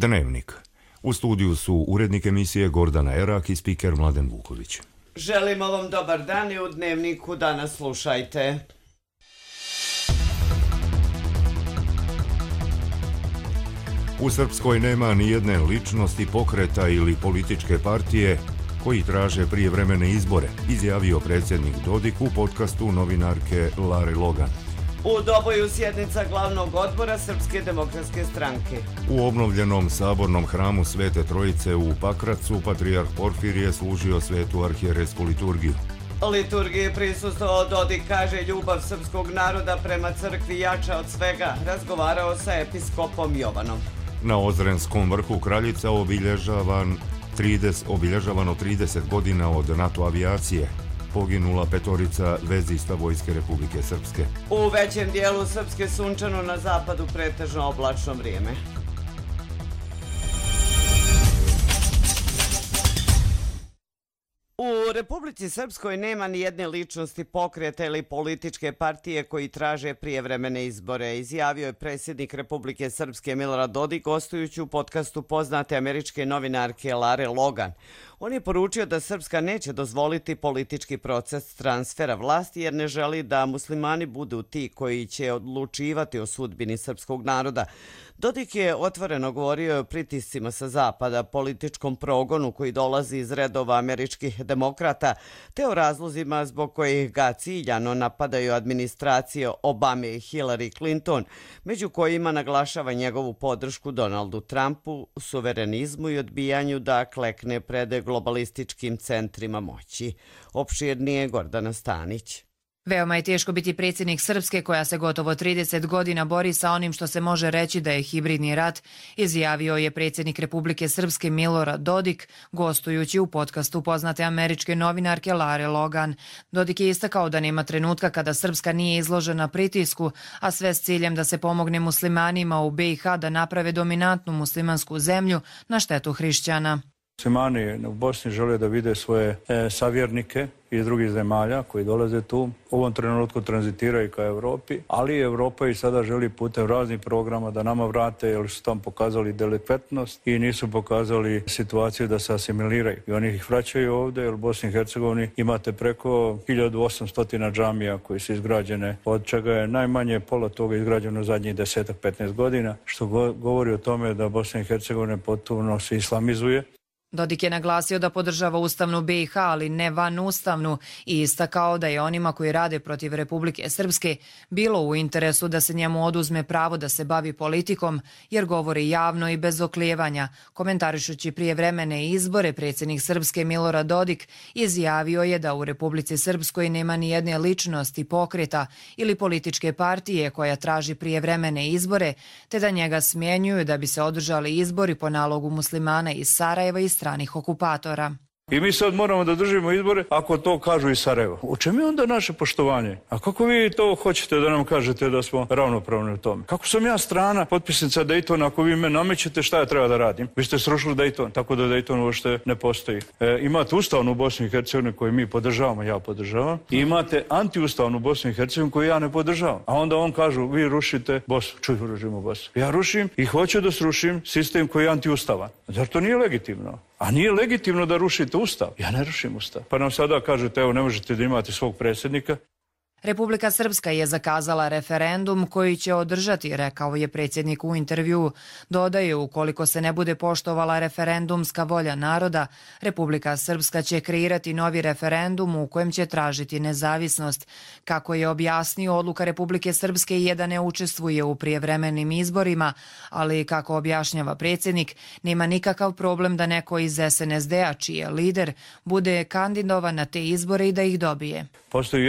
Dnevnik. U studiju su urednik emisije Gordana Erak i spiker Mladen Vuković. Želimo vam dobar dan i u Dnevniku danas slušajte. U Srpskoj nema ni jedne ličnosti, pokreta ili političke partije koji traže prijevremene izbore, izjavio predsjednik Dodik u podcastu novinarke Lare Logan. U Doboju sjednica glavnog odbora Srpske demokratske stranke. U obnovljenom sabornom hramu Svete Trojice u Pakracu patrijarh Porfirije služio svetu arhijerejsku liturgiju. Liturgiji prisustvovao Dodik, kaže ljubav srpskog naroda prema crkvi jača od svega. Razgovarao sa episkopom Jovanom. Na Ozrenskom vrhu Kraljica obilježavano 30 godina od NATO avijacije. Poginula 5 vezista Vojske Republike Srpske. U većem dijelu Srpske sunčano, na zapadu pretežno oblačno vrijeme. U Republici Srpskoj nema ni jedne ličnosti, pokreta ili političke partije koji traže prijevremene izbore, izjavio je predsjednik Republike Srpske Milorad Dodik gostujući u podcastu poznate američke novinarke Lare Logan. On je poručio da Srpska neće dozvoliti politički proces transfera vlasti jer ne želi da muslimani budu ti koji će odlučivati o sudbini srpskog naroda. Dodik je otvoreno govorio o pritiscima sa zapada, političkom progonu koji dolazi iz redova američkih demokrata, te o razlozima zbog kojih ga ciljano napadaju administracije Obame i Hillary Clinton, među kojima naglašava njegovu podršku Donaldu Trumpu, suverenizmu i odbijanju da klekne pred globalističkim centrima moći. Opširnije Gordana Stanić. Veoma je teško biti predsjednik Srpske koja se gotovo 30 godina bori sa onim što se može reći da je hibridni rat, izjavio je predsjednik Republike Srpske Milorad Dodik gostujući u podcastu poznate američke novinarke Lare Logan. Dodik je istakao da nema trenutka kada Srpska nije izložena pritisku, a sve s ciljem da se pomogne muslimanima u BiH da naprave dominantnu muslimansku zemlju na štetu hrišćana. Muslimani u Bosni žele da vide svoje savjernike iz drugih zemalja koji dolaze tu. U ovom trenutku tranzitiraju ka Evropi, ali Evropa i sada želi putem raznih programa da nama vrate jer su tam pokazali delikventnost i nisu pokazali situaciju da se asimiliraju. I oni ih vraćaju ovdje jer u Bosni i Hercegovini imate preko 1800 džamija koji su izgrađene, od čega je najmanje pola toga izgrađeno zadnjih 10-15 godina, što govori o tome da Bosna i Hercegovina potpuno se islamizuje. Dodik je naglasio da podržava ustavnu BiH, ali ne vanustavnu, i istakao da je onima koji rade protiv Republike Srpske bilo u interesu da se njemu oduzme pravo da se bavi politikom, jer govori javno i bez oklijevanja. Komentarišući prijevremene izbore, predsjednik Srpske Milorad Dodik izjavio je da u Republici Srpskoj nema ni jedne ličnosti, pokreta ili političke partije koja traži prijevremene izbore, te da njega smjenjuju da bi se održali izbori po nalogu muslimana iz Sarajeva i stranih okupatora. I mi sad moramo da držimo izbore ako to kažu iz Sarajeva. U čemu je onda naše poštovanje? A kako vi to hoćete da nam kažete da smo ravnopravni u tome? Kako sam ja strana potpisnica Daytona, ako vi me namećete šta ja treba da radim? Vi ste srušili Dayton, tako da Dayton uopšte ne postoji. Imate ustavnu Bosnu i Hercegovinu koju mi podržavamo, ja podržavam. I imate antiustavnu Bosnu i Hercegovinu koju ja ne podržavam. A onda on kažu, vi rušite Bosnu. Čuj, rušimo Bosnu. Ja rušim i hoću da srušim sistem koji je antiustavan. Zar to nije legitimno? A nije legitimno da rušite Ustav. Ja ne rušim Ustav. Pa nam sada kažete, evo, ne možete da imate svog predsjednika. Republika Srpska je zakazala referendum koji će održati, rekao je predsjednik u intervjuu. Dodaje, ukoliko se ne bude poštovala referendumska volja naroda, Republika Srpska će kreirati novi referendum u kojem će tražiti nezavisnost. Kako je objasnio, odluka Republike Srpske je da ne učestvuje u prijevremenim izborima, ali kako objašnjava predsjednik, nema nikakav problem da neko iz SNSD-a, čiji je lider, bude kandidovan na te izbore i da ih dobije. Postoji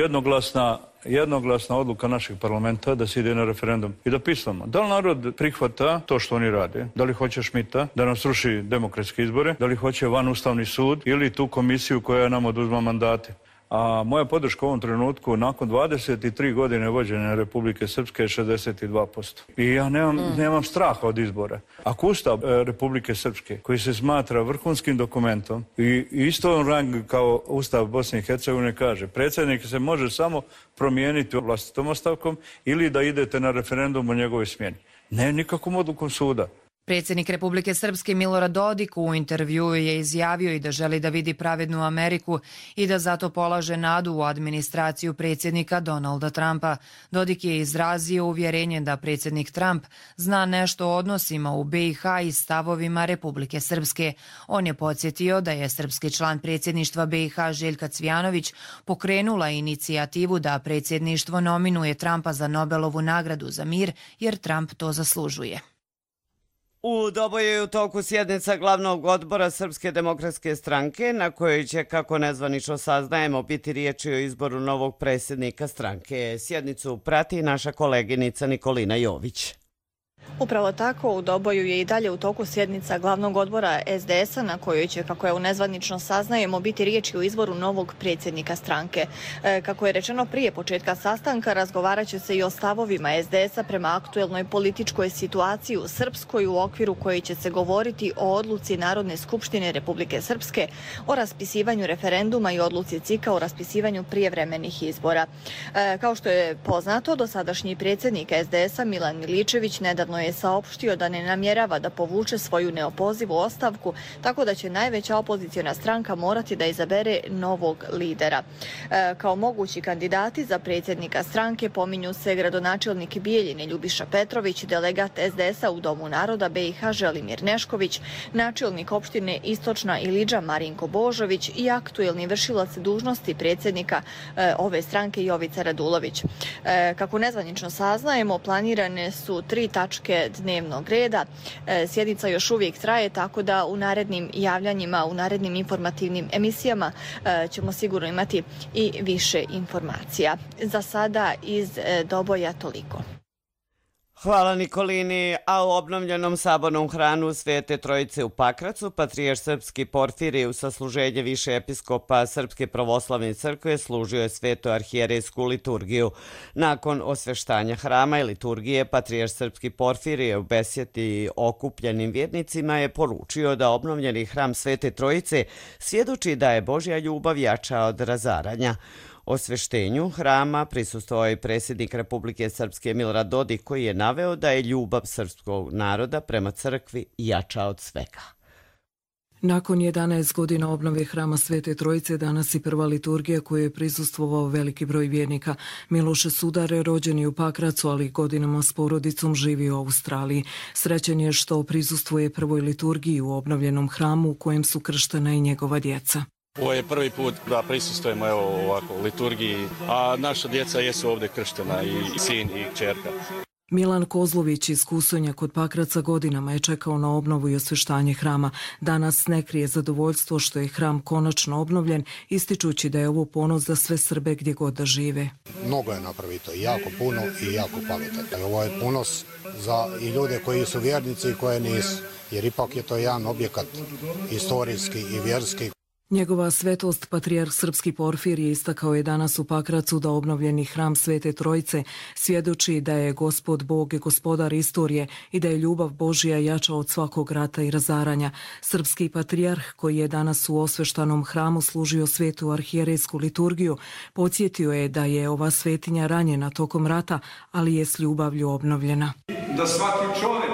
jednoglasna odluka našeg parlamenta da se ide na referendum i da pisamo. Da li narod prihvata to što oni rade? Da li hoće Šmita da nam sruši demokratske izbore? Da li hoće vanustavni sud ili tu komisiju koja nam oduzma mandate? A moja podrška u ovom trenutku nakon 23 godine vođenja Republike Srpske je 62%. I ja nemam straha od izbora. Ako Ustav Republike Srpske, koji se smatra vrhunskim dokumentom i isto rang kao Ustav Bosne i Hercegovine, kaže predsjednik se može samo promijeniti vlastitom ostavkom ili da idete na referendum o njegovoj smjeni. Ne nikakvom odlukom suda. Predsjednik Republike Srpske Milorad Dodik u intervjuu je izjavio i da želi da vidi pravednu Ameriku i da zato polaže nadu u administraciju predsjednika Donalda Trumpa. Dodik je izrazio uvjerenje da predsjednik Trump zna nešto o odnosima u BiH i stavovima Republike Srpske. On je podsjetio da je srpski član predsjedništva BiH Željka Cvijanović pokrenula inicijativu da predsjedništvo nominuje Trumpa za Nobelovu nagradu za mir jer Trump to zaslužuje. U Doboju je u toku sjednica glavnog odbora Srpske demokratske stranke, na kojoj će, kako nezvanično saznajemo, biti riječi o izboru novog predsjednika stranke. Sjednicu prati naša koleginica Nikolina Jović. Upravo tako, u Doboju je i dalje u toku sjednica glavnog odbora SDS-a na kojoj će, kako je nezvanično saznajemo, biti riječi o izboru novog predsjednika stranke. Kako je rečeno prije početka sastanka, razgovarat će se i o stavovima SDS-a prema aktuelnoj političkoj situaciji u Srpskoj, u okviru koji će se govoriti o odluci Narodne skupštine Republike Srpske o raspisivanju referenduma i odluci CIK-a o raspisivanju prijevremenih izbora. Kao što je poznato, dosadašnji predsjednik SDS-a Milan Miličević nedavno je saopštio da ne namjerava da povuče svoju neopozivu ostavku, tako da će najveća opoziciona stranka morati da izabere novog lidera. Kao mogući kandidati za predsjednika stranke pominju se gradonačelnik Bijeljine Ljubiša Petrović, delegat SDS-a u Domu naroda BiH Želimir Nešković, načelnik opštine Istočna Ilidža Marinko Božović i aktuelni vršilac dužnosti predsjednika ove stranke Jovica Radulović. Kako nezvanično saznajemo, planirane su 3 tačke dnevnog reda. Sjednica još uvijek traje, tako da u narednim javljanjima, u narednim informativnim emisijama ćemo sigurno imati i više informacija. Za sada iz Doboja toliko. Hvala Nikolini, a u obnovljenom sabornom hramu Svete Trojice u Pakracu patrijarh srpski Porfirije u sasluženje više episkopa Srpske pravoslavne crkve služio je svetu arhijerejsku liturgiju. Nakon osveštanja hrama i liturgije, patrijarh srpski Porfirije u besjedi okupljenim vjernicima je poručio da obnovljeni hram Svete Trojice svjedoči da je Božja ljubav jača od razaranja. Osveštenju hrama prisustvovao je predsjednik Republike Srpske Milorad Dodik, koji je naveo da je ljubav srpskog naroda prema crkvi jača od svega. Nakon 11 godina obnove hrama Svete Trojice, danas i prva liturgija koju je prisustvovao veliki broj vjernika. Miloše Sudare rođen je u Pakracu, ali godinama s porodicom živi u Australiji. Srećen je što prisustvuje prvoj liturgiji u obnovljenom hramu u kojem su krštena i njegova djeca. Ovo je prvi put da prisustvujemo ovako liturgiji, a naša djeca jesu ovdje krštena, i sin i kćerka. Milan Kozlović iz Kusonja kod Pakraca godinama je čekao na obnovu i osveštanje hrama. Danas ne krije zadovoljstvo što je hram konačno obnovljen, ističući da je ovo ponos za sve Srbe gdje god da žive. Mnogo je napravito, jako puno i jako kvalitetno. Ovo je ponos za i ljude koji su vjernici i koje nisu, jer ipak je to jedan objekat istorijski i vjerski. Njegova svetost, patrijarh srpski Porfirije, istakao je danas u Pakracu da obnovljeni hram Svete Trojice svjedoči da je Gospod Bog gospodar istorije i da je ljubav Božja jača od svakog rata i razaranja. Srpski patrijarh, koji je danas u osveštanom hramu služio svetu arhijerejsku liturgiju, podsjetio je da je ova svetinja ranjena tokom rata, ali je s ljubavlju obnovljena. Da svaki čovjek,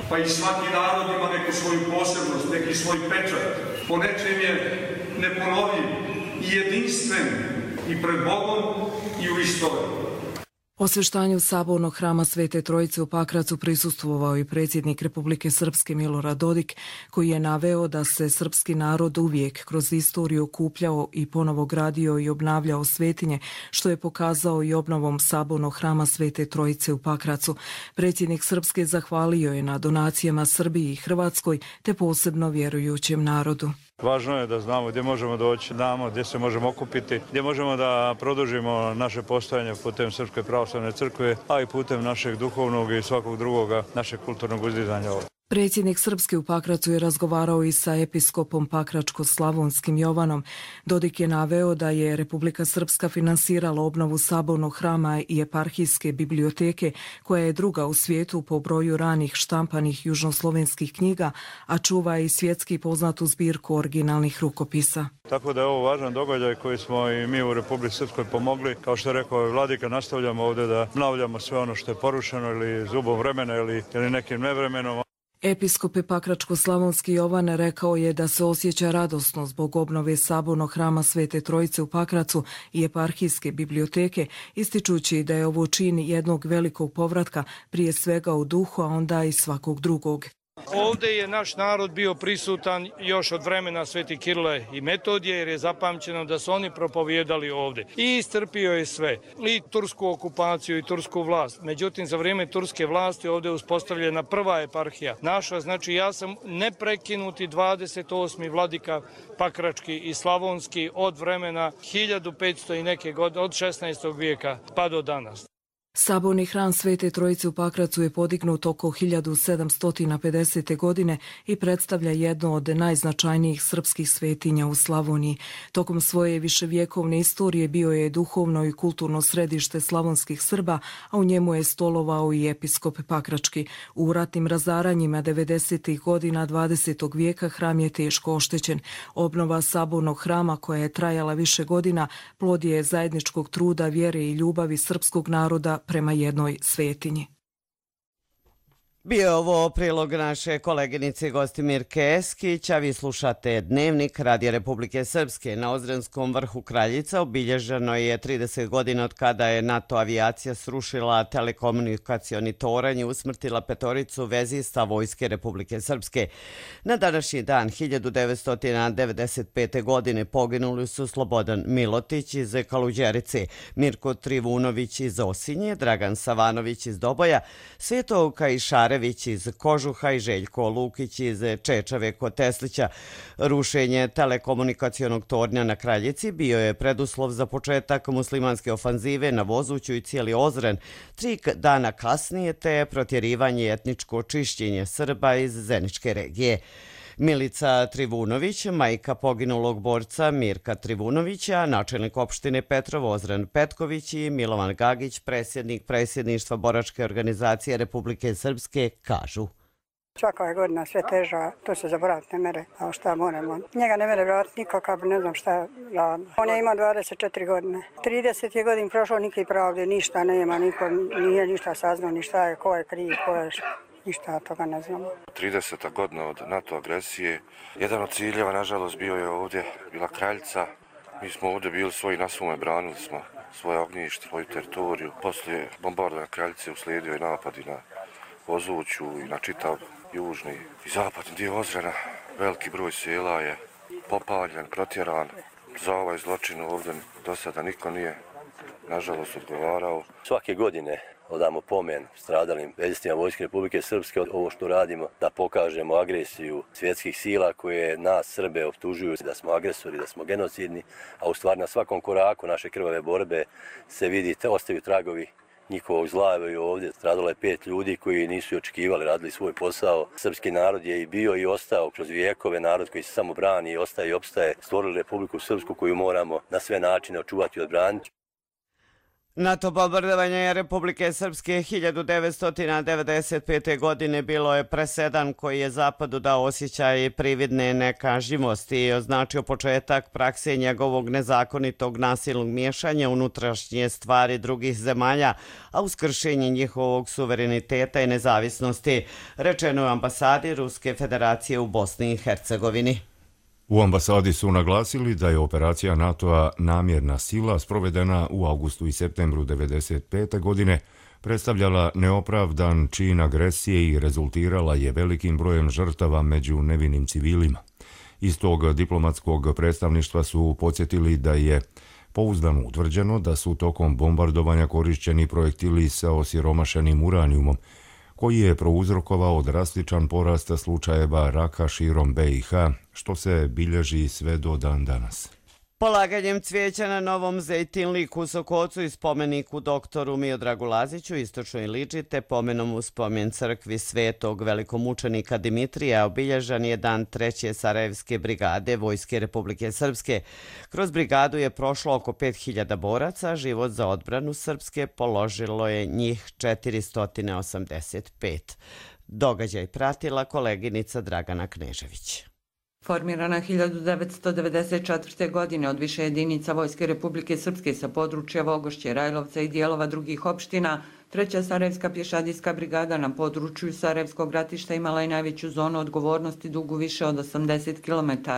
pa i svaki narod ima neku svoju posebnost, neki svoj pečat, po nečem je neponovljiv i jedinstven i pred Bogom i u istoriji. Osveštanju sabornog hrama Svete Trojice u Pakracu prisustvovao i predsjednik Republike Srpske Milorad Dodik, koji je naveo da se srpski narod uvijek kroz istoriju okupljao i ponovo gradio i obnavljao svetinje, što je pokazao i obnovom sabornog hrama Svete Trojice u Pakracu. Predsjednik Srpske zahvalio je na donacijama Srbiji i Hrvatskoj, te posebno vjerujućem narodu. Važno je da znamo gdje možemo doći, znamo gdje se možemo okupiti, gdje možemo da produžimo naše postojanje putem Srpske pravoslavne crkve, a i putem našeg duhovnog i svakog drugoga našeg kulturnog uzdizanja. Predsjednik Srpske u Pakracu je razgovarao i sa episkopom Pakračko-slavonskim Jovanom. Dodik je naveo da je Republika Srpska finansirala obnovu sabornog hrama i eparhijske biblioteke, koja je druga u svijetu po broju ranih štampanih južnoslovenskih knjiga, a čuva i svjetski poznatu zbirku originalnih rukopisa. Tako da je ovo važan događaj koji smo i mi u Republici Srpskoj pomogli. Kao što je rekao vladika, nastavljamo ovdje da obnavljamo sve ono što je porušeno ili zubom vremena ili nekim nevremenom. Episkop Pakračko-slavonski Jovan rekao je da se osjeća radosno zbog obnove sabornog hrama Svete Trojice u Pakracu i eparhijske biblioteke, ističući da je ovo čin jednog velikog povratka, prije svega u duhu, a onda i svakog drugog. Ovdje je naš narod bio prisutan još od vremena Sveti Kirile i Metodije, jer je zapamćeno da su oni propovijedali ovdje. I istrpio je sve, i tursku okupaciju i tursku vlast. Međutim, za vrijeme turske vlasti ovdje je uspostavljena prva eparhija naša. Znači, ja sam neprekinuti 28. vladika pakrački i slavonski od vremena 1500 i neke godine, od 16. vijeka pa do danas. Saborni hram Svete Trojice u Pakracu je podignut oko 1750. godine i predstavlja jedno od najznačajnijih srpskih svetinja u Slavoniji. Tokom svoje viševjekovne istorije bio je duhovno i kulturno središte slavonskih Srba, a u njemu je stolovao i episkop Pakrački. U ratnim razaranjima 90. godina 20. vijeka hram je teško oštećen. Obnova sabornog hrama, koja je trajala više godina, plod je zajedničkog truda, vjere i ljubavi srpskog naroda prema jednoj svetinji. Bio je ovo prilog naše koleginice Gostimirke Eskić, a vi slušate Dnevnik Radija Republike Srpske. Na Ozrenskom vrhu Kraljica obilježeno je 30 godina od kada je NATO avijacija srušila telekomunikacioni toranj i usmrtila 5 vezista Vojske Republike Srpske. Na današnji dan 1995. godine poginuli su Slobodan Milotić iz Kaluđerice, Mirko Trivunović iz Osinje, Dragan Savanović iz Doboja, Sveto Kajšarević iz Kožuha i Željko Lukić iz Čečave kod Teslića. Rušenje telekomunikacionog tornja na Kraljici bio je preduslov za početak muslimanske ofanzive na Vozuću i cijeli Ozren 3 dana kasnije, te protjerivanje i etničko čišćenje Srba iz Zeničke regije. Milica Trivunović, majka poginulog borca Mirka Trivunovića, načelnik opštine Petrovo Ozren Petković i Milovan Gagić, predsjednik predsjedništva Boračke organizacije Republike Srpske, kažu. Svaka je godina sve teža, to se zaboraviti ne mere, a šta moramo. Njega ne mere vratiti nikakav, ne znam šta radi. On je imao 24 godine. 30 je godin prošlo, nikakve pravde, ništa nema, niko nije ništa saznao, ni šta je, ko je kriv, ko je ništa toga ne znamo. 30. godina od NATO agresije. Jedan od ciljeva, nažalost, bio je ovdje, bila Kraljica. Mi smo ovdje bili svoji na svome, branili smo svoje ognjište, svoju teritoriju. Poslije bombardovanja Kraljice uslijedio je napad i na Vozuću i na čitav južni i zapadni dio Ozrena. Veliki broj sela je popaljen, protjeran. Za ovaj zločin ovdje do sada niko nije, nažalost, odgovarao. Svake godine odamo pomen stradalim vezistima Vojske Republike Srpske. Ovo što radimo, da pokažemo agresiju svjetskih sila koje nas Srbe optužuju da smo agresori, da smo genocidni, a u stvari na svakom koraku naše krvave borbe se vidi, ostaju tragovi njihovog zla. Ovdje stradalo je 5 ljudi koji nisu očekivali, radili svoj posao. Srpski narod je i bio i ostao kroz vijekove, narod koji se samo brani i ostaje i opstaje. Stvorili Republiku Srpsku koju moramo na sve načine očuvati i odbraniti. NATO bombardovanje Republike Srpske 1995. godine bilo je presedan koji je Zapadu dao osjećaj prividne nekažnjivosti i označio početak prakse njegovog nezakonitog nasilnog miješanja unutrašnje stvari drugih zemalja, a uz kršenje njihovog suvereniteta i nezavisnosti, rečeno je ambasadi Ruske federacije u Bosni i Hercegovini. U ambasadi su naglasili da je operacija NATO-a Namjerna sila sprovedena u avgustu i septembru 1995. godine, predstavljala neopravdan čin agresije i rezultirala je velikim brojem žrtava među nevinim civilima. Iz tog diplomatskog predstavništva su podsjetili da je pouzdano utvrđeno da su tokom bombardovanja korišćeni projektili sa osiromašenim uranijumom, koji je prouzrokovao drastičan porast slučajeva raka širom BiH, što se bilježi sve do dan danas. Polaganjem cvijeća na Novom Zejtinliku u Sokocu i spomeniku doktoru Miodragu Laziću istočnoj Liči te pomenom u spomen crkvi svetog velikomučenika Dimitrija obilježan je dan 3. Sarajevske brigade Vojske Republike Srpske. Kroz brigadu je prošlo oko 5000 boraca, život za odbranu Srpske položilo je njih 485. Događaj pratila koleginica Dragana Knežević. Formirana 1994. godine od više jedinica Vojske Republike Srpske sa područja Vogošće, Rajlovca i dijelova drugih opština, Treća Sarajevska pješadijska brigada na području Sarajevskog ratišta imala je najveću zonu odgovornosti dugu više od 80 km,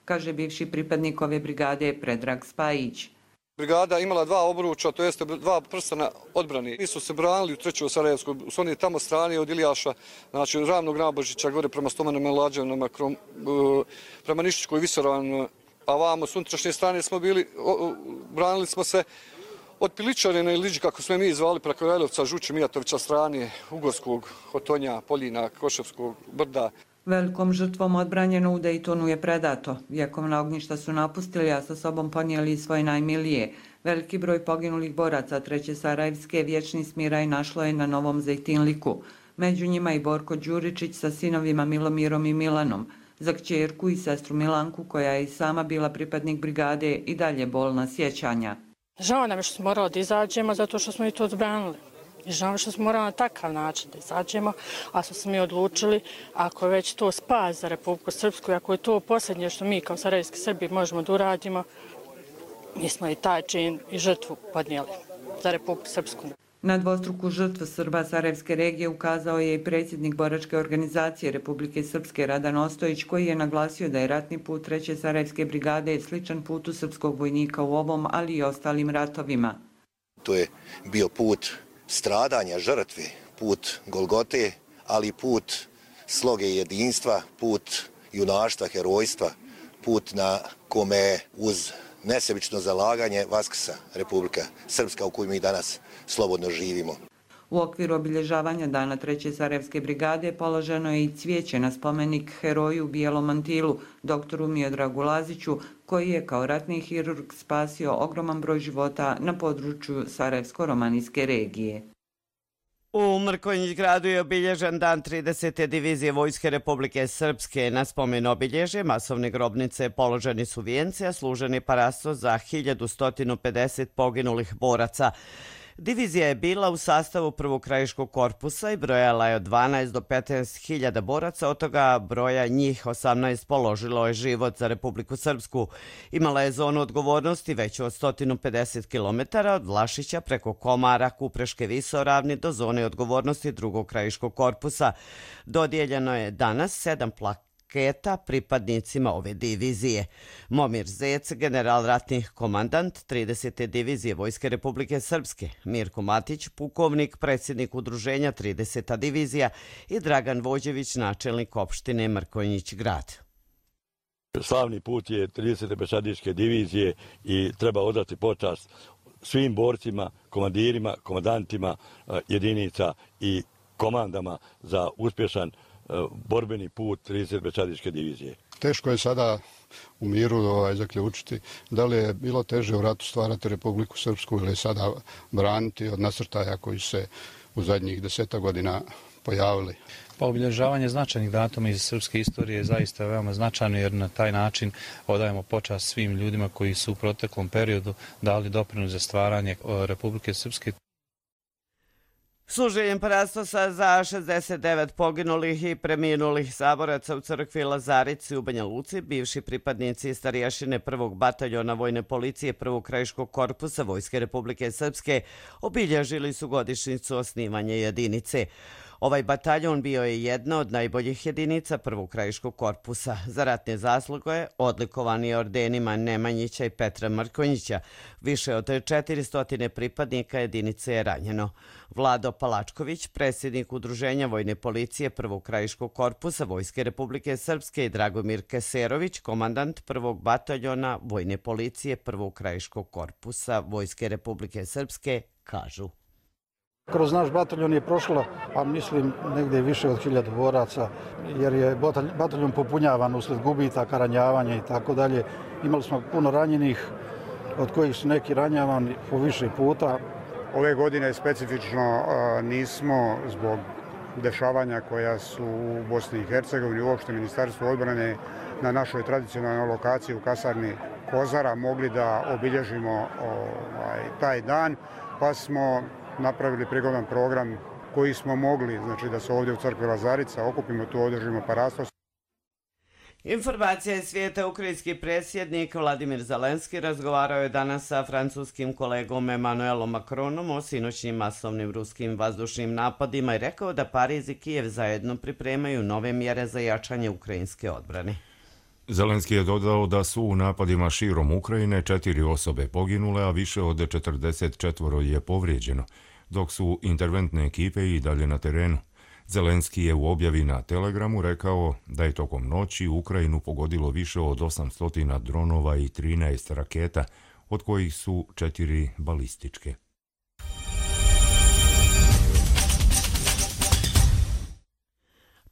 kaže bivši pripadnik ove brigade Predrag Spajić. Brigada imala dva obruča, to jeste dva prstena odbrani. Nisu se branili u trećoj Sarajevskoj, su oni tamo strani od Ilijaša, znači od Ravnog Nabožića, gore prema Stomanama i Lađevnama, prema Nišičkoj Visoravnoj, a vamo s unutrašnje strane smo bili, branili smo se od Piličarina ili Liđi, kako smo mi zvali, preko Rajlovca, Žuće, Mijatovića strane, Ugorskog, Hotonja, Poljina, Koševskog, Brda. Velikom žrtvom odbranjeno u Dejtonu je predato. Vjekovna ognjišta su napustili, a sa sobom ponijeli svoje najmilije. Veliki broj poginulih boraca Treće Sarajevske vječni smiraj našlo je na Novom Zejtinliku. Među njima i Borko Đuričić sa sinovima Milomirom i Milanom. Za kćerku i sestru Milanku, koja je i sama bila pripadnik brigade, i dalje bolna sjećanja. Žao nam je što smo morali da izađemo zato što smo i to odbranili. I žao što smo morali na takav način da izađemo, a smo se mi odlučili, ako je već to spas za Republiku Srpsku, ako je to posljednje što mi kao sarajevski Srbi možemo da uradimo, mi smo i taj čin i žrtvu podnijeli za Republiku Srpsku. Na dvostruku žrtvu Srba Sarajevske regije ukazao je i predsjednik boračke organizacije Republike Srpske Radan Ostojić, koji je naglasio da je ratni put Treće Sarajevske brigade sličan putu srpskog vojnika u ovom, ali i ostalim ratovima. To je bio put stradanja, žrtve, put Golgote, ali i put sloge i jedinstva, put junaštva, herojstva, put na kome uz nesebično zalaganje vaskrsa Republika Srpska u kojoj mi danas slobodno živimo. U okviru obilježavanja Dana Treće Sarajevske brigade položeno je i cvijeće na spomenik heroju u bijelom mantilu, doktoru Miodragu Laziću, koji je kao ratni hirurg spasio ogroman broj života na području Sarajevsko-romanijske regije. U Mrkonjić gradu je obilježen dan 30. divizije Vojske Republike Srpske. Na spomen obilježje masovne grobnice položeni su vijenci, a služeni parasto za 1150 poginulih boraca. Divizija je bila u sastavu prvog krajiškog korpusa i brojala je od 12 do 15 hiljada boraca, od toga broja njih 18 položilo je život za Republiku Srpsku. Imala je zonu odgovornosti veću od 150 km od Vlašića preko Komara, Kupreške Visoravni do zone odgovornosti drugog krajiškog korpusa. Dodijeljeno je danas 7 plaketa pripadnicima ove divizije. Momir Zec, general ratnih komandant 30. divizije Vojske Republike Srpske, Mirko Matić, pukovnik, predsjednik udruženja 30. divizija i Dragan Vođević, načelnik opštine Mrkonjić grad. Slavni put je 30. pješadijske divizije i treba odati počast svim borcima, komandirima, komandantima jedinica i komandama za uspješan borbeni put 30. pješadijske divizije. Teško je sada u miru zaključiti da li je bilo teže u ratu stvarati Republiku Srpsku ili sada braniti od nasrtaja koji se u zadnjih 10 godina pojavili. Pa obilježavanje značajnih datuma iz srpske istorije je zaista veoma značajno, jer na taj način odajemo počast svim ljudima koji su u proteklom periodu dali doprinos za stvaranje Republike Srpske. Služenjem parastosa za 69 poginulih i preminulih saboraca u crkvi Lazarici u Banja Luci, bivši pripadnici i starješine prvog bataljona vojne policije prvog krajiškog korpusa Vojske Republike Srpske obilježili su godišnjicu osnivanja jedinice. Ovaj bataljon bio je jedna od najboljih jedinica prvog krajiškog korpusa. Za ratne zasluge odlikovan je ordenima Nemanjića i Petra Mrkonjića. Više od 400 pripadnika jedinice je ranjeno. Vlado Palačković, predsjednik udruženja vojne policije prvog krajiškog korpusa Vojske Republike Srpske, i Dragomir Keserović, komandant prvog bataljona vojne policije prvog krajiškog korpusa Vojske Republike Srpske, kažu. Kroz naš bataljon je prošlo, a mislim, negdje više od 1000 boraca, jer je bataljon popunjavan usled gubitaka, ranjavanja i tako dalje. Imali smo puno ranjenih, od kojih su neki ranjavani po više puta. Ove godine specifično nismo zbog dešavanja koja su u Bosni i Hercegovini, uopšte Ministarstvo odbrane na našoj tradicionalnoj lokaciji u kasarni Kozara mogli da obilježimo taj dan, pa smo napravili prigodan program koji smo mogli, znači da se ovdje u crkvi Lazarica okupimo, tu održimo parastos. Informacija iz svijeta. Ukrajinski predsjednik Vladimir Zelenski razgovarao je danas sa francuskim kolegom Emmanuelom Macronom o sinoćnim masovnim ruskim vazdušnim napadima i rekao da Pariz i Kijev zajedno pripremaju nove mjere za jačanje ukrajinske odbrane. Zelenski je dodao da su u napadima širom Ukrajine 4 osobe poginule, a više od 44 je povrijeđeno, dok su interventne ekipe i dalje na terenu. Zelenski je u objavi na Telegramu rekao da je tokom noći Ukrajinu pogodilo više od 800 dronova i 13 raketa, od kojih su 4 balističke.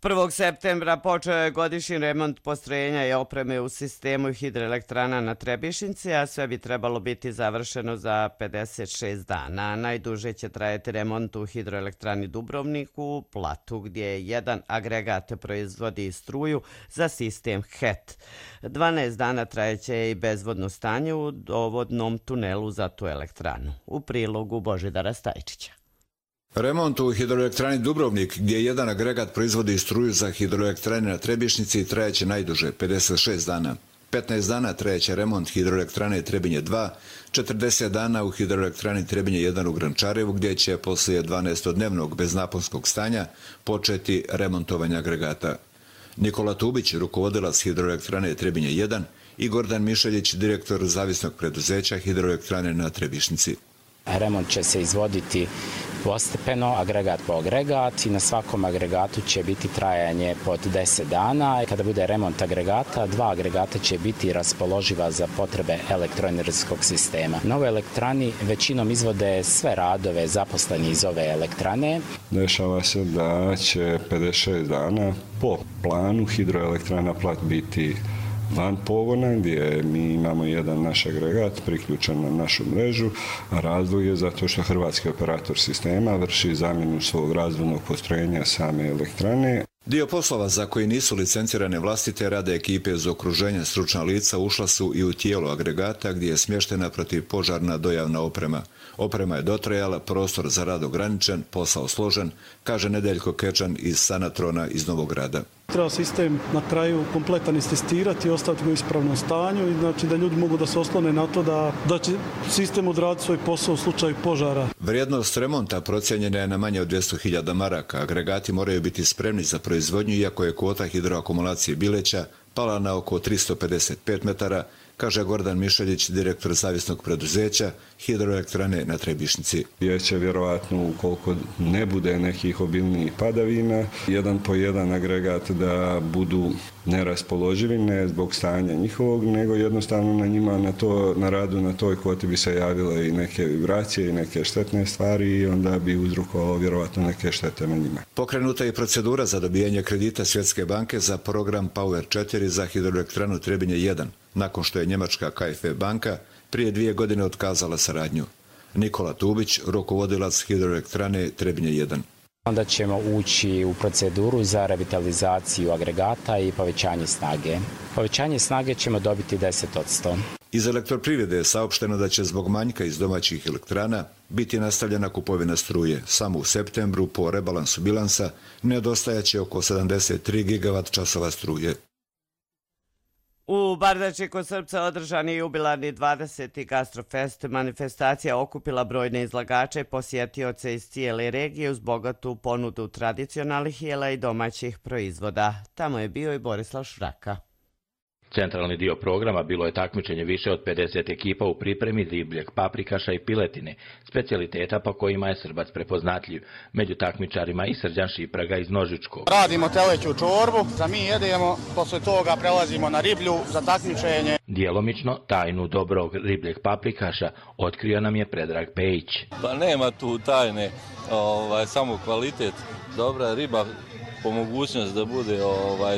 Prvog septembra počeo je godišnji remont postrojenja i opreme u sistemu hidroelektrana na Trebišnici, a sve bi trebalo biti završeno za 56 dana. Najduže će trajati remont u hidroelektrani Dubrovnik u Platu, gdje jedan agregat proizvodi struju za sistem HET. 12 dana trajeće i bezvodno stanje u dovodnom tunelu za tu elektranu. U prilogu Božidara Stajčića. Remont u hidroelektrani Dubrovnik, gdje jedan agregat proizvodi struju za hidroelektrane na Trebišnici, trajeće najduže, 56 dana. 15 dana trajeće remont hidroelektrane Trebinje 2, 40 dana u hidroelektrani Trebinje 1 u Grančarevu, gdje će poslije 12-dnevnog beznaponskog stanja početi remontovanje agregata. Nikola Tubić, rukovodilac hidroelektrane Trebinje 1 i Gordan Mišeljić, direktor zavisnog preduzeća hidroelektrane na Trebišnici. Remont će se izvoditi postepeno, agregat po agregat i na svakom agregatu će biti trajanje pod 10 dana. Kada bude remont agregata, 2 agregata će biti raspoloživa za potrebe elektroenergetskog sistema. Na ovoj elektrani većinom izvode sve radove zaposleni iz ove elektrane. Dešava se da će 56 dana po planu hidroelektrana Plat biti van pogona, gdje mi imamo jedan naš agregat priključen na našu mrežu, a razlog je zato što hrvatski operator sistema vrši zamjenu svog razvodnog postrojenja same elektrane. Dio poslova za koji nisu licencirane vlastite rade ekipe za okruženje stručna lica ušla su i u tijelo agregata gdje je smještena protivpožarna dojavna oprema. Oprema je dotrajala, prostor za rad ograničen, posao složen, kaže Nedeljko Kečan iz Sanatrona iz Novog Grada. Treba sistem na kraju kompletan istestirati i ostaviti ga u ispravnom stanju i znači da ljudi mogu da se oslone na to da će sistem odraditi svoj posao u slučaju požara. Vrijednost remonta procijenjena je na manje od 200.000 maraka. Agregati moraju biti spremni za proizvodnju, iako je kvota hidroakumulacije Bileća pala na oko 355 metara, kaže Gordan Mišeljić, direktor zavisnog preduzeća hidroelektrane na Trebišnici. Će vjerovatno, ukoliko ne bude nekih obilnijih padavina, jedan po jedan agregat da budu neraspoloživi, ne zbog stanja njihovog, nego jednostavno na njima na radu na toj kvoti bi se javile i neke vibracije i neke štetne stvari i onda bi uzrokovalo vjerovatno neke štete na njima. Pokrenuta je procedura za dobijanje kredita Svjetske banke za program Power 4 za hidroelektranu Trebinje 1, nakon što je njemačka KfW banka prije 2 godine otkazala saradnju. Nikola Tubić, rukovodilac hidroelektrane Trebinje 1. Onda ćemo ući u proceduru za revitalizaciju agregata i povećanje snage. Povećanje snage ćemo dobiti 10%. Iz elektroprivrede je saopšteno da će zbog manjka iz domaćih elektrana biti nastavljena kupovina struje. Samo u septembru po rebalansu bilansa nedostajaće oko 73 gigavat-časova struje. U Bardači kod Srpca održan je jubilarni 20. Gastrofest. Manifestacija okupila brojne izlagače i posjetioce iz cijele regije uz bogatu ponudu tradicionalnih jela i domaćih proizvoda. Tamo je bio i Borislav Šraka. Centralni dio programa bilo je takmičenje više od 50 ekipa u pripremi ribljeg paprikaša i piletine, specijaliteta po kojima je Srbac prepoznatljiv. Među takmičarima i Srđan Šipraga iz Nožičkog. Radimo teleću čorbu, za mi jedemo, posle toga prelazimo na riblju za takmičenje. Djelomično tajnu dobrog ribljeg paprikaša otkrio nam je Predrag Pejić. Pa nema tu tajne, samo kvalitet. Dobra riba po mogućnosti da bude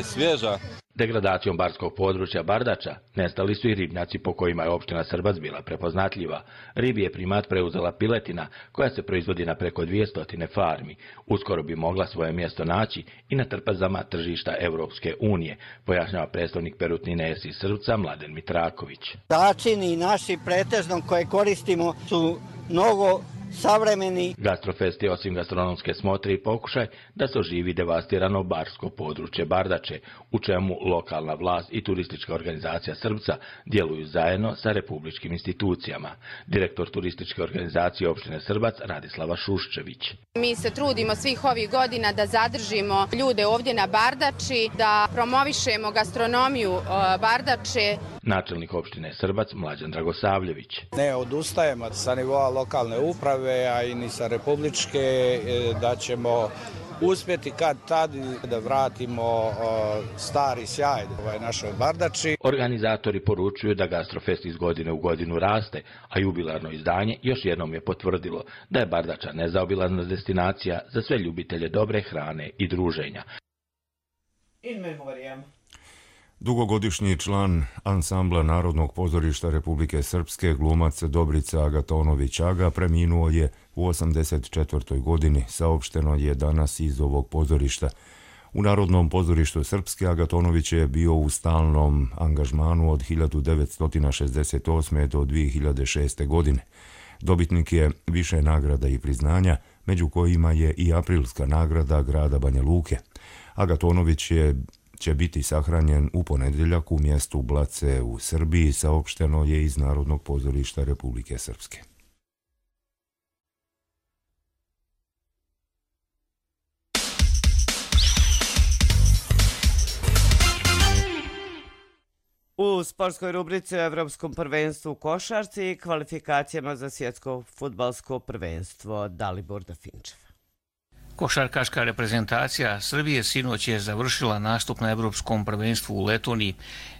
svježa. Degradacijom barskog područja Bardača nestali su i ribnjaci po kojima je opština Srbac bila prepoznatljiva. Ribi je primat preuzela piletina koja se proizvodi na preko 200 farmi. Uskoro bi mogla svoje mjesto naći i na trpezama tržišta Europske unije, pojašnjava predstavnik Perutnine iz Srpca Mladen Mitraković. Začini naši pretežno koje koristimo su mnogo savremeni. Gastrofest je osim gastronomske smotre i pokušaj da se oživi devastirano barsko područje Bardače, u čemu lokalna vlast i turistička organizacija Srbca djeluju zajedno sa republičkim institucijama. Direktor turističke organizacije opštine Srbac Radislava Šuščević. Mi se trudimo svih ovih godina da zadržimo ljude ovdje na Bardači, da promovišemo gastronomiju Bardače. Načelnik opštine Srbac Mlađan Dragosavljević. Ne odustajemo sa nivoa lokalne uprave, a i ni sa republičke, da ćemo uspjeti kad tad da vratimo stari sjaj našoj Bardači. Organizatori poručuju da Gastrofest iz godine u godinu raste, a jubilarno izdanje još jednom je potvrdilo da je Bardača nezaobilazna destinacija za sve ljubitelje dobre hrane i druženja. In memoriam. Dugogodišnji član ansambla Narodnog pozorišta Republike Srpske, glumac Dobrica Agatonović Aga, preminuo je u 84. godini, saopšteno je danas iz ovog pozorišta. U Narodnom pozorištu Srpske Agatonović je bio u stalnom angažmanu od 1968. do 2006. godine. Dobitnik je više nagrada i priznanja, među kojima je i aprilska nagrada grada Banja Luke. Agatonović će biti sahranjen u ponedjeljak u mjestu Blace u Srbiji, saopšteno je iz Narodnog pozorišta Republike Srpske. U sportskoj rubrici o Evropskom prvenstvu u košarci i kvalifikacijama za svjetsko fudbalsko prvenstvo. Dalibor Dafinčev. Košarkaška reprezentacija Srbije sinoć je završila nastup na Evropskom prvenstvu u Letoniji.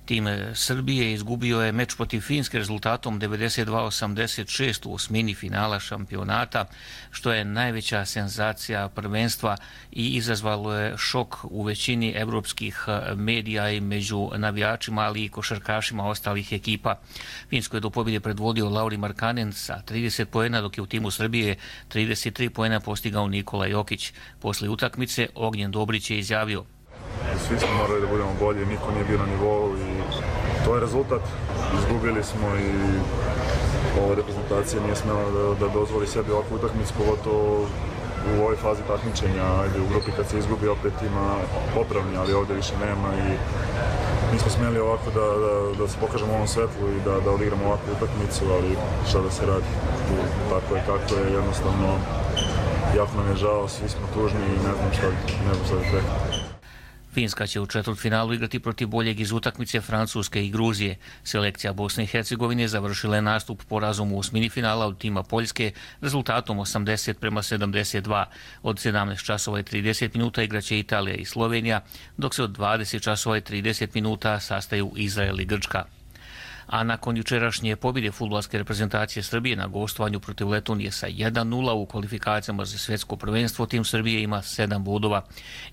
Tim Srbije izgubio je meč protiv Finske rezultatom 92-86 u osmini finala šampionata, što je najveća senzacija prvenstva i izazvalo je šok u većini evropskih medija i među navijačima, ali i košarkašima ostalih ekipa. Finsko je do pobjede predvodio Lauri Markkanen sa 30 poena, dok je u timu Srbije 33 poena postigao Nikola Jokić. Posle utakmice Ognjen Dobrić je izjavio: svi smo morali da budemo bolji, niko nije bio na nivou i to je rezultat. Izgubili smo i ova reprezentacija nije smjela da dozvoli sebi ovakvu utakmicu, pogotovo u ovoj fazi takmičenja. Ajde, u grupi kad se izgubi opet ima popravni, ali ovdje više nema i nismo smjeli ovako da se pokažemo u ovom svetlu i da odigramo ovakvu utakmicu, ali šta da se radi, tako je kako je, jednostavno jako nam je žao, svi smo tužni i ne znam šta bih rekao. Finska će u četvrtfinalu igrati protiv boljeg iz utakmice Francuske i Gruzije. Selekcija Bosne i Hercegovine završila je nastup porazom u osmini finala od tima Poljske rezultatom 80-72. Od 17 časova i 30 minuta igraće Italija i Slovenija, dok se od 20 časova i 30 minuta sastaju Izrael i Grčka. A nakon jučerašnje pobjede fudbalske reprezentacije Srbije na gostovanju protiv Letonije sa 1-0 u kvalifikacijama za svjetsko prvenstvo, tim Srbije ima 7 bodova.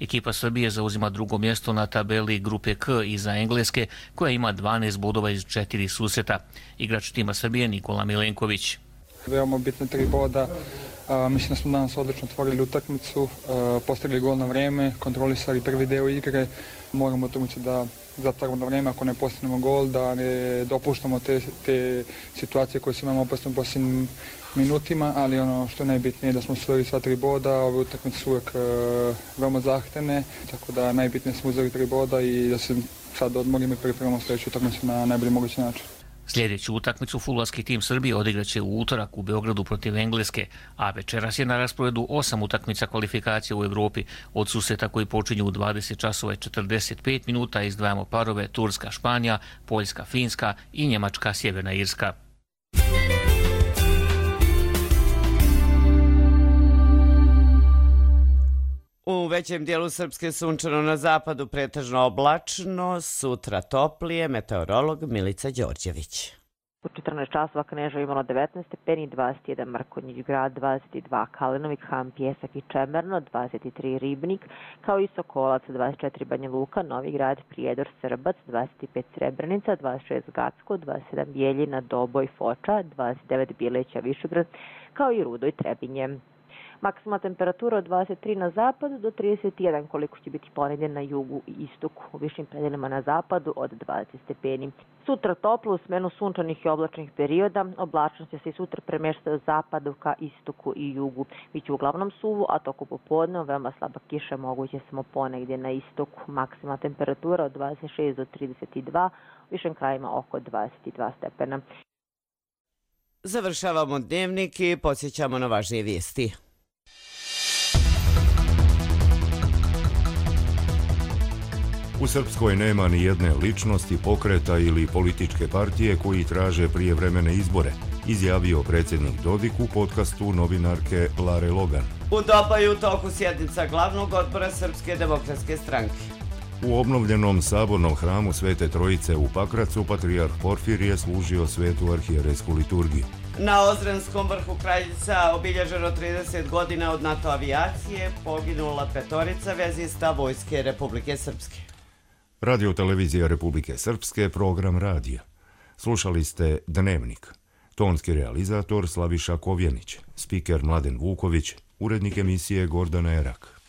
Ekipa Srbije zauzima drugo mjesto na tabeli grupe K iza Engleske, koja ima 12 bodova iz 4 susreta. Igrač tima Srbije Nikola Milenković. Veoma bitne 3 boda. Mislim da smo danas odlično otvorili utakmicu, postigli gol na vrijeme, kontrolisali prvi deo igre. Moramo utakmicu da zatvaramo na vrijeme, ako ne postignemo gol, da ne dopuštamo te situacije koje se imamo opasno u posljednjim minutima, ali ono što je najbitnije je da smo osvojili sva 3 boda. Ove utakmice su uvijek veoma zahtevne, tako da najbitnije smo uzeli 3 boda i da se sad odmorimo i pripremamo sljedeću utakmicu na najbolji mogući način. Sljedeću utakmicu fudbalski tim Srbije odigraće u utorak u Beogradu protiv Engleske, a večeras je na rasporedu 8 utakmica kvalifikacije u Evropi. Od susreta koji počinju u 20 časova i 45 minuta izdvajamo parove Turska, Španija, Poljska, Finska i Njemačka, Sjeverna Irska. U većem dijelu Srpske sunčano, na zapadu pretežno oblačno, sutra toplije, meteorolog Milica Đorđević. U 14 časova Kneževo imalo 19 stepeni, 21 Mrkonjić grad, 22 Kalinovik, Han, Pjesak i Čemerno, 23 Ribnik, kao i Sokolac, 24 Banja Luka, Novi grad, Prijedor, Srbac, 25 Srebrenica, 26 Gacko, 27 Bijeljina, Doboj, Foča, 29 Bileća, Višegrad, kao i Rudo i Trebinje. Maksimalna temperatura od 23 na zapadu do 31 koliko će biti ponegdje na jugu i istoku. U višim predelima na zapadu od 20 stepeni. Sutra toplo u smenu sunčanih i oblačnih perioda. Oblačnost će se i sutra premještati od zapadu ka istoku i jugu. Biće uglavnom suvo, a toku popodne veoma slaba kiša moguće samo ponegdje na istoku. Maksimalna temperatura od 26 do 32, u višim krajima oko 22 stepena. Završavamo dnevnik i podsjećamo na važnije vijesti. U Srpskoj nema ni jedne ličnosti, pokreta ili političke partije koji traže prijevremene izbore, izjavio predsjednik Dodik u podcastu novinarke Lare Logan. U Dobaju toku sjednica glavnog odbora Srpske demokratske stranke. U obnovljenom sabornom hramu Svete Trojice u Pakracu patrijarh Porfirije služio svetu arhijerejsku liturgiju. Na Ozrenskom vrhu Kraljica obilježeno 30 godina od NATO avijacije, poginula 5 vezista Vojske Republike Srpske. Radio televizija Republike Srpske, program radija. Slušali ste Dnevnik. Tonski realizator Slaviša Kovjenić, spiker Mladen Vuković, urednik emisije Gordana Erak.